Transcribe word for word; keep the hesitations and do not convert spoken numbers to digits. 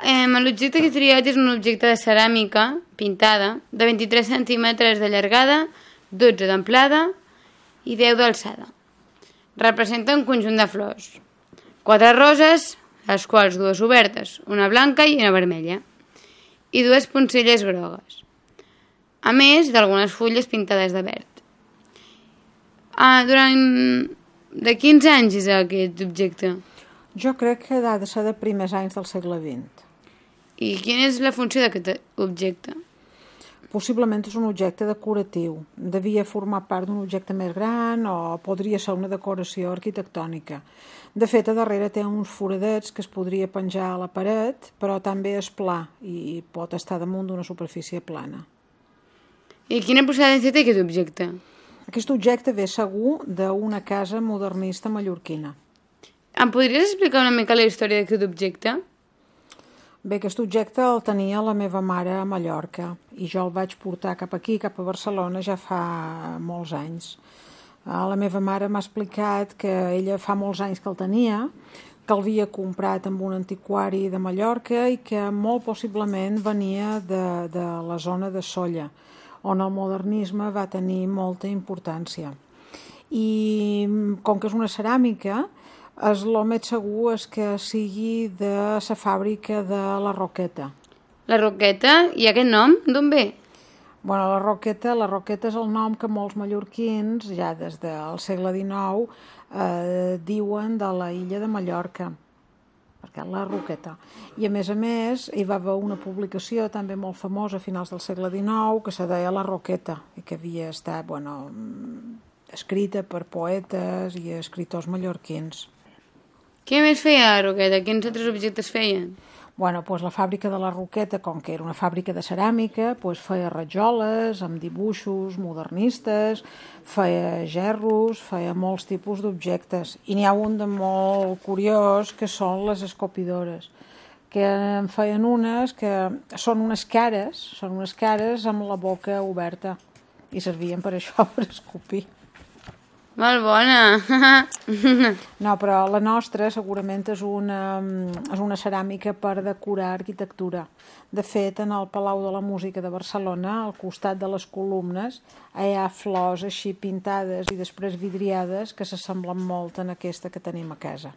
eh, l'objecte que he triat és un objecte de ceràmica pintada de vint-i-tres centímetres de llargada, dotze d'amplada i deu d'alçada. Representa un conjunt de flors. Quatre roses, les quals dues obertes, una blanca i una vermella, i dues poncelles grogues, a més d'algunes fulles pintades de verd. Ah, durant... De quins anys és aquest objecte? Jo crec que ha de ser de primers anys del segle vint. I quina és la funció d'aquest objecte? Possiblement és un objecte decoratiu. Devia formar part d'un objecte més gran o podria ser una decoració arquitectònica. De fet, a darrere té uns foradets que es podria penjar a la paret, però també és pla i pot estar damunt d'una superfície plana. I quina procedència té aquest objecte? Aquest objecte ve segur d'una casa modernista mallorquina. Em podries explicar una mica la història d'aquest objecte? Bé, aquest objecte el tenia la meva mare a Mallorca i jo el vaig portar cap aquí, cap a Barcelona, ja fa molts anys. La meva mare m'ha explicat que ella fa molts anys que el tenia, que el havia comprat amb un antiquari de Mallorca i que molt possiblement venia de, de la zona de Sóller, on el modernisme va tenir molta importància. I com que és una ceràmica, el més segur és que sigui de la fàbrica de la Roqueta. La Roqueta? I aquest nom d'on ve? Bueno, la Roqueta, la Roqueta és el nom que molts mallorquins, ja des del segle dinou, eh, diuen de la illa de Mallorca, perquè la Roqueta. I a més a més hi va haver una publicació també molt famosa a finals del segle dinou que se deia La Roqueta i que havia estat, bueno, escrita per poetes i escriptors mallorquins. Què més feia la Roqueta? Quins altres objectes feien? Bueno, doncs la fàbrica de la Roqueta, com que era una fàbrica de ceràmica, doncs feia rajoles amb dibuixos modernistes, feia gerros, feia molts tipus d'objectes. I n'hi ha un de molt curiós que són les escopidores, que en feien unes que són unes cares, són unes cares amb la boca oberta i servien per això, per escopir. Molt bona! No, però la nostra segurament és una, és una ceràmica per decorar arquitectura. De fet, en el Palau de la Música de Barcelona, al costat de les columnes, hi ha flors així pintades i després vidriades que s'assemblen molt en aquesta que tenim a casa.